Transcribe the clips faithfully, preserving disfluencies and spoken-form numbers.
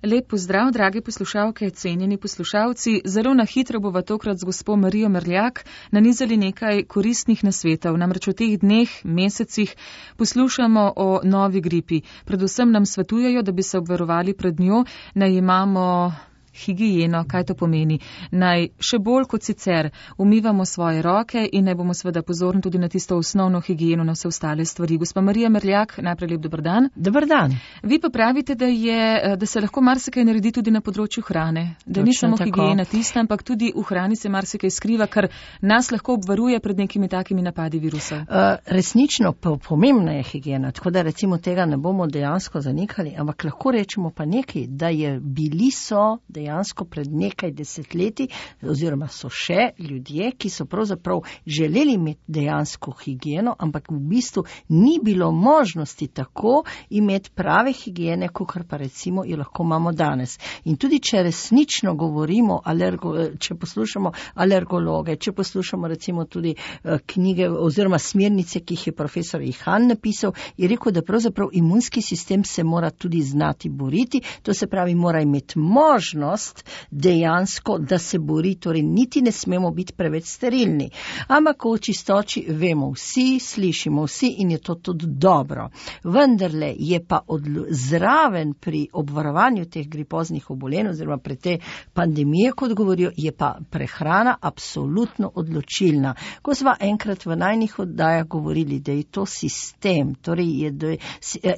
Lep pozdrav, dragi poslušalke, cenjeni poslušalci. Zelo na hitro bova tokrat z gospo Marijo Merljak nanizali nekaj koristnih nasvetov. Namreč v teh dneh, mesecih poslušamo o novi gripi. Predvsem nam svetujejo, da bi se obvarovali pred njo, naj imamo higieno. Kaj to pomeni? Naj še bolj kot sicer umivamo svoje roke in naj bomo seveda pozorni tudi na tisto osnovno higieno, na vse ostale stvari. Gospa Marija Merljak, najprej lep dober dan. Dober dan. Vi pa pravite, da, je, da se lahko marsikaj naredi tudi na področju hrane. Da ni samo higiena tista, ampak tudi v hrani se marsikaj skriva, kar nas lahko obvaruje pred nekimi takimi napadi virusov. Uh, resnično pa pomembna je higiena, tako da recimo tega ne bomo dejansko zanikali, ampak lahko rečemo pa nekaj, da je bili so dejansko pred nekaj desetletji, oziroma so še ljudje, ki so pravzaprav želeli imeti dejansko higieno, ampak v bistvu ni bilo možnosti tako imeti prave higiene, kakor pa recimo jo lahko imamo danes. In tudi če resnično govorimo, alergo, če poslušamo alergologe, če poslušamo recimo tudi uh, knjige oziroma smernice, ki jih je profesor Ihan napisal, je rekel, da pravzaprav imunski sistem se mora tudi znati boriti, to se pravi, mora imeti možnost dejansko, da se bori, torej niti ne smemo biti preveč sterilni. Ampak o čistoči vemo vsi, slišimo vsi in je to tudi dobro. Vendarle je pa odlo- zraven pri obvarovanju teh gripoznih obolenj oziroma pri te pandemije, kot govorijo, je pa prehrana absolutno odločilna. Ko sva enkrat v najnih oddajah govorili, da je to sistem, torej je, da je,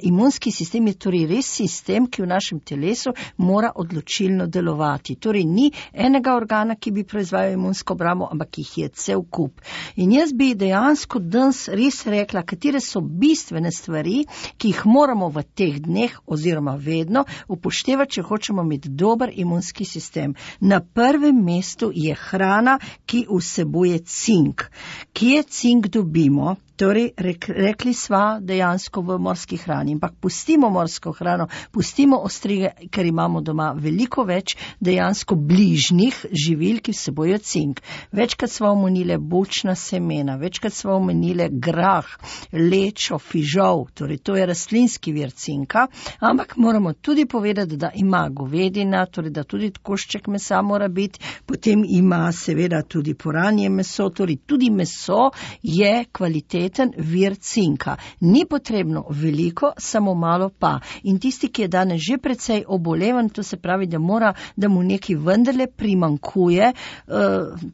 imunski sistem je torej res sistem, ki v našem telesu mora odločilno delovati. Torej ni enega organa, ki bi proizvajal imunsko obrambo, ampak jih je cel kup. In jaz bi dejansko danes res rekla, katere so bistvene stvari, ki jih moramo v teh dneh oziroma vedno upoštevati, če hočemo imeti dober imunski sistem. Na prvem mestu je hrana, ki vsebuje cink. Kje cink dobimo? Torej, rek, rekli sva dejansko v morski hrani, ampak pustimo morsko hrano, pustimo ostrige, ker imamo doma veliko več dejansko bližnjih živil, ki vsebojo cink. Večkrat sva omenile bučna semena, večkrat sva omenile grah, lečo, fižol, torej to je rastlinski vir cinka, ampak moramo tudi povedati, da ima govedina, torej da tudi košček mesa mora biti, potem ima seveda tudi poranje meso, torej tudi meso je kvalitetno vir cinka. Ni potrebno veliko, samo malo pa. In tisti, ki je danes že precej obolevan, to se pravi, da mora, da mu nekaj vendarle primankuje, uh,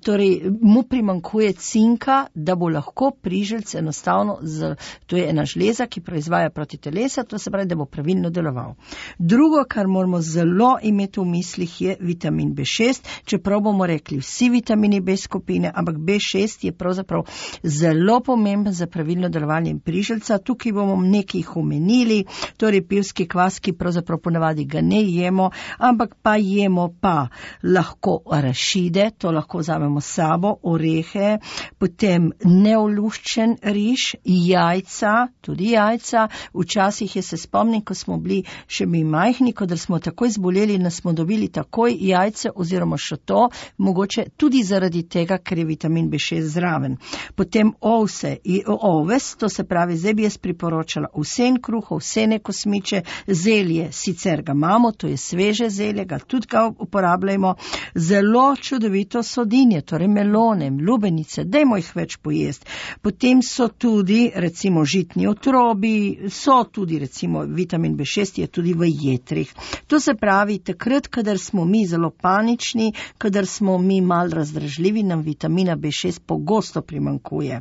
torej mu primankuje cinka, da bo lahko priželc enostavno, z, to je ena žleza, ki proizvaja proti telesa, to se pravi, da bo pravilno deloval. Drugo, kar moramo zelo imeti v mislih, je vitamin B šest, čeprav bomo rekli vsi vitamini B skupine, ampak B šest je pravzaprav zelo pomemben za pravilno delovanje priželca. Tukaj bomo nekaj jih omenili, torej pivski kvas, ki pravzaprav ponavadi ga ne jemo, ampak pa jemo pa lahko arašide, to lahko vzamemo s sabo, orehe, potem neoluščen riž, jajca, tudi jajca. Včasih je se spomnim, ko smo bili še mi majhni, ko da smo takoj zboleli, nas smo dobili takoj jajce oziroma še to, mogoče tudi zaradi tega, ker je vitamin B šest zraven. Potem ovse, oves, to se pravi, zdaj bi jaz priporočala vsen kruh, vsene kosmiče, zelje, sicer ga imamo, to je sveže zelje, ga tudi ga uporabljamo, zelo čudovito sodinje, torej melone, lubenice, dajmo jih več pojesti. Potem so tudi, recimo, žitni otrobi, so tudi, recimo, vitamin B šest je tudi v jetrih. To se pravi, takrat, kadar smo mi zelo panični, kadar smo mi mal razdražljivi, nam vitamina B šest pogosto primankuje.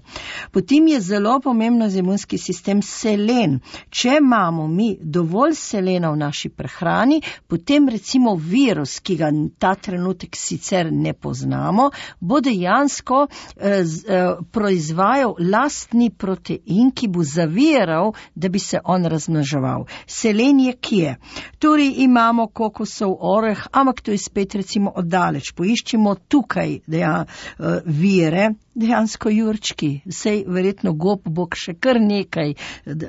Potem je zelo pomembno za imunski sistem selen. Če imamo mi dovolj selena v naši prehrani, potem recimo virus, ki ga ta trenutek sicer ne poznamo, bo dejansko eh, eh, proizvajal lastni protein, ki bo zaviral, da bi se on razmnoževal. Selen je kje? Torej imamo kokosov oreh, ampak to je spet recimo oddaleč. Poiščimo tukaj deja, eh, vire, dejansko jurčki, sej verjetno gob bog še kar nekaj,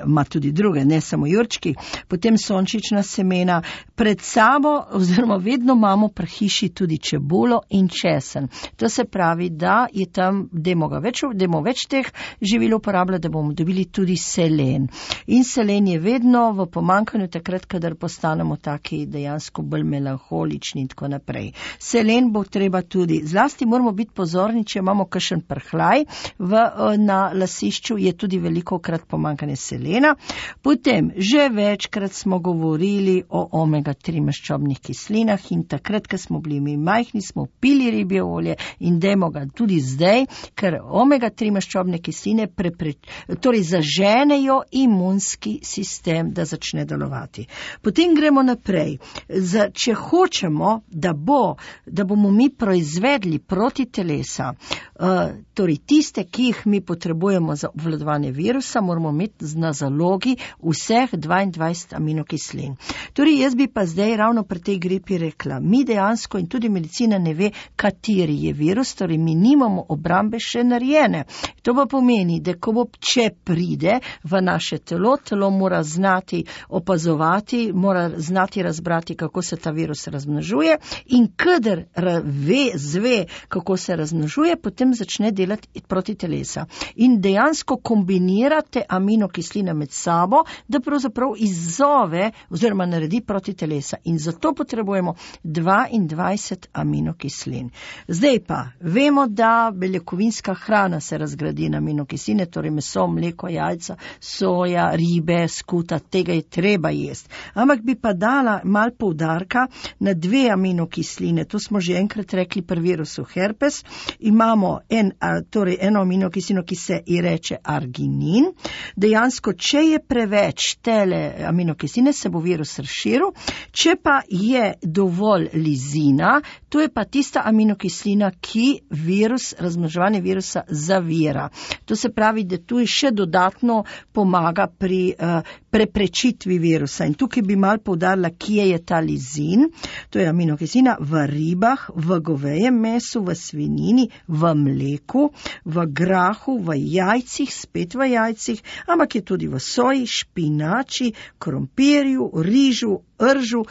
ima tudi druge, ne samo jurčki, potem sončična semena, pred sabo oziroma vedno imamo pri hiši tudi čebulo in česen. To se pravi, da je tam, dajmo več, dajmo več teh živil uporabljati, da bomo dobili tudi selen. In selen je vedno v pomanjkanju takrat, kadar postanemo taki dejansko bolj melanholični in tako naprej. Selen bo treba tudi, zlasti moramo biti pozorni, če imamo kakšen prhlaj v, na lasišču, je tudi veliko krat pomanjkanje selena. Potem, že večkrat smo govorili o omega tri maščobnih kislinah in takrat, ko smo bili mi majhni, smo pili ribje olje in dajmo ga tudi zdaj, ker omega tri maščobne kisline prepre, torej zaženejo imunski sistem, da začne delovati. Potem gremo naprej. Za, če hočemo, da, bo, da bomo mi proizvedli proti telesa, Uh, torej tiste, ki jih mi potrebujemo za obvladovanje virusa, moramo imeti na zalogi vseh dvaindvajset aminokislin. Torej jaz bi pa zdaj ravno pri tej gripi rekla, mi dejansko in tudi medicina ne ve, kateri je virus, torej mi nimamo obrambe še narejene. To pa pomeni, da ko bo, če pride v naše telo, telo mora znati opazovati, mora znati razbrati, kako se ta virus razmnožuje in kadar ve, zve, kako se razmnožuje, potem začne delati proti telesa. In dejansko kombinirate aminokisline med sabo, da pravzaprav izzove oziroma naredi proti telesa. In zato potrebujemo dvaindvajset aminokislin. Zdaj pa, vemo, da beljakovinska hrana se razgradi na aminokisline, torej meso, mleko, jajca, soja, ribe, skuta, tega je treba jesti. Ampak bi pa dala mal poudarka na dve aminokisline. To smo že enkrat rekli pri virusu herpes. Imamo En, torej eno aminokislino, ki se ji reče arginin. Dejansko, če je preveč tele aminokisline, se bo virus razširil. Če pa je dovolj lizina, to je pa tista aminokislina, ki virus, razmnoževanje virusa zavira. To se pravi, da tu še dodatno pomaga pri uh, preprečitvi virusa. In tukaj bi mal poudarila, kje je ta lizin. To je aminokislina v ribah, v govejem mesu, v svinjini, v mleku, v grahu, v jajcih, spet v jajcih, ampak je tudi v soji, špinači, krompirju, rižu, ržu,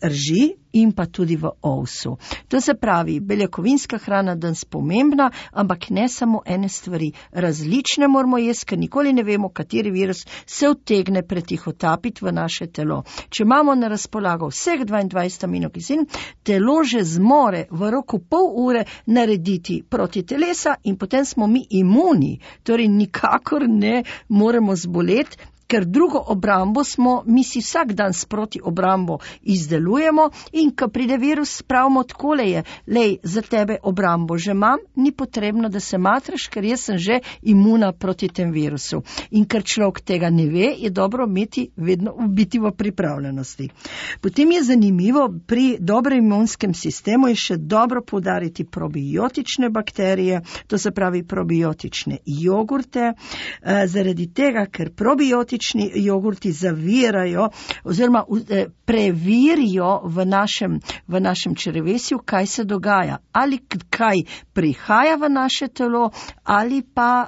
rži in pa tudi v ovsu. To se pravi, beljakovinska hrana danes pomembna, ampak ne samo ene stvari. Različne moramo jesti, ker nikoli ne vemo, kateri virus se utegne pretihotapiti v naše telo. Če imamo na razpolago vseh dvaindvajset aminokislin, telo že zmore v roku pol ure narediti proti telesa in potem smo mi imuni. Torej nikakor ne moremo zboleti, ker drugo obrambo smo, mi si vsak dan sproti obrambo izdelujemo in ko pride virus, pravimo takole je, lej, za tebe obrambo že imam, ni potrebno, da se matraš, ker jaz sem že imuna proti tem virusu. In ker človek tega ne ve, je dobro imeti vedno biti v pripravljenosti. Potem je zanimivo, pri dobrem imunskem sistemu je še dobro poudariti probiotične bakterije, to se pravi probiotične jogurte, eh, zaradi tega, ker probiotični jogurti zavirajo oziroma preverijo v našem, v našem črevesju, kaj se dogaja. Ali kaj prihaja v naše telo, ali pa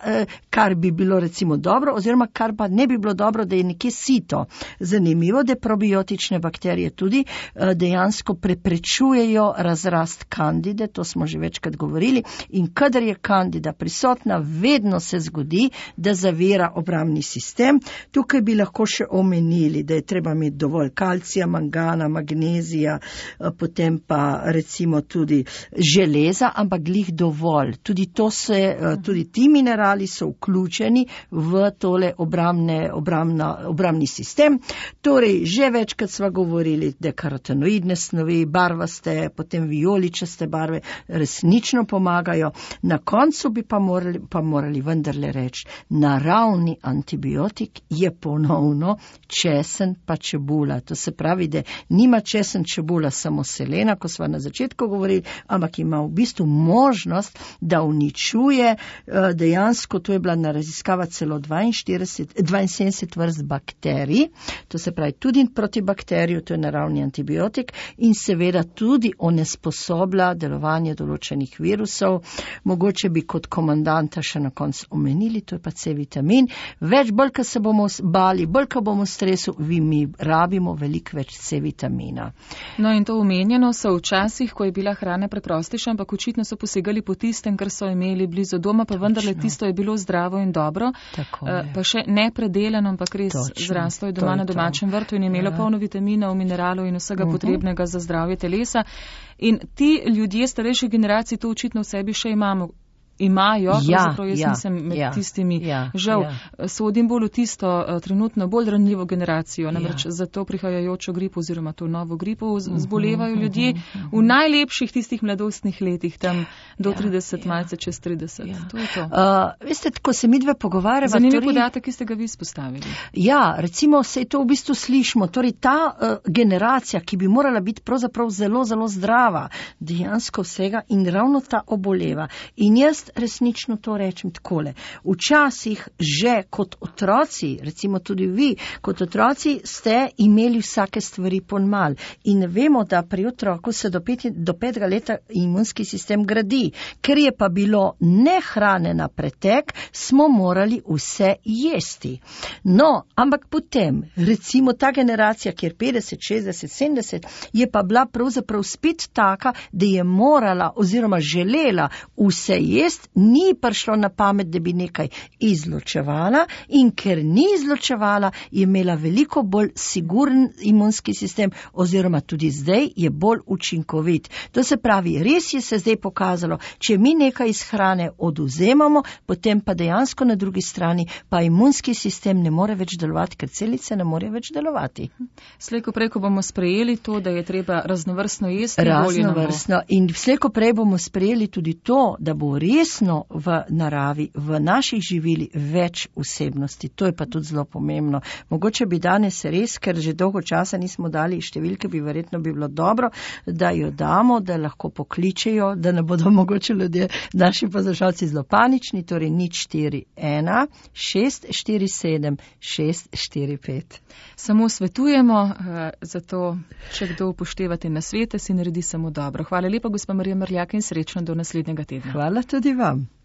kar bi bilo recimo dobro, oziroma kar pa ne bi bilo dobro, da je nekje sito. Zanimivo, da probiotične bakterije tudi dejansko preprečujejo razrast kandide, to smo že večkrat govorili, in kadar je kandida prisotna, vedno se zgodi, da zavira obrambni sistem. Tukaj bi lahko še omenili, da je treba imeti dovolj kalcija, mangana, magnezija, potem pa recimo tudi železa, ampak glih dovolj. Tudi, to se, tudi ti minerali so vključeni v tole obrambne, obrambna, obrambni sistem. Torej, že večkrat sva govorili, da karotenoidne snovi, barvaste, potem vijoličaste barve resnično pomagajo. Na koncu bi pa morali, pa morali vendarle reči, naravni antibiotik je je ponovno česen pa čebula. To se pravi, da nima česen čebula samo selena, ko smo na začetku govorili, ampak ima v bistvu možnost, da uničuje dejansko, to je bila na raziskava celo dvainsedemdeset vrst bakterij, to se pravi tudi proti bakteriju, to je naravni antibiotik in seveda tudi onesposobila delovanje določenih virusov. Mogoče bi kot komandanta še na koncu omenili, to je pa C vitamin. Več, bolj, ko se bomo bali, bolj, ko bomo v stresu, vi mi rabimo veliko več C vitamina. No in to omenjeno so včasih, ko je bila hrana preprostejša, ampak očitno so posegali po tistem, kar so imeli blizu doma, pa vendarle tisto je bilo zdravo in dobro. Pa še nepredelano, ampak res zraslo je doma na domačem vrtu in je imelo ja. polno vitaminov, mineralov in vsega uh-huh. potrebnega za zdravje telesa. In ti ljudje starejše generacije to očitno v sebi še imamo. Imajo, pravzaprav jaz ja, nisem med ja, tistimi, ja, žal, ja. sodim bolj v tisto uh, trenutno bolj ranljivo generacijo, namreč ja. za to prihajajočo gripo oziroma to novo gripo zbolevajo ljudje v najlepših tistih mladostnih letih, tam do ja, trideset, ja. malce čez trideset. Ja. To je to. Uh, veste, ko se midve pogovarjava... Zanimiv torej... podatek, ki ste ga vi izpostavili. Ja, recimo se to v bistvu slišimo, torej ta uh, generacija, ki bi morala biti pravzaprav zelo, zelo zdrava, dejansko vsega in ravno ta oboleva. In jaz resnično to rečem takole. Včasih že kot otroci, recimo tudi vi, kot otroci ste imeli vsake stvari ponmal. In vemo, da pri otroku se do, pet, do petega leta imunski sistem gradi. Ker je pa bilo nehrane na pretek, smo morali vse jesti. No, ampak potem, recimo ta generacija, kjer petdeset, šestdeset, sedemdeset, je pa bila pravzaprav spet taka, da je morala oziroma želela vse jesti, ni prišlo na pamet, da bi nekaj izločevala in ker ni izločevala, je imela veliko bolj siguren imunski sistem oziroma tudi zdaj je bolj učinkovit. To se pravi, res je se zdaj pokazalo, če mi nekaj iz hrane odvzemamo, potem pa dejansko na drugi strani pa imunski sistem ne more več delovati, ker celice ne more več delovati. Slejko prej, ko bomo sprejeli to, da je treba raznovrstno jesti, raznovrstno in slejko prej bomo sprejeli tudi to, da bo resno v naravi, v naših živili več vsebnosti. To je pa tudi zelo pomembno. Mogoče bi danes res, ker že dolgo časa nismo dali številke, bi verjetno bi bilo dobro, da jo damo, da lahko pokličejo, da ne bodo mogoče ljudje, naši poslušalci zelo panični, torej nič štiri ena šest štiri sedem šest štiri pet. Samo svetujemo, zato če kdo upoštevate nasvete, si naredi samo dobro. Hvala lepa, gospa Marija Merljak in srečno do naslednjega tedna. Hvala tudi vam.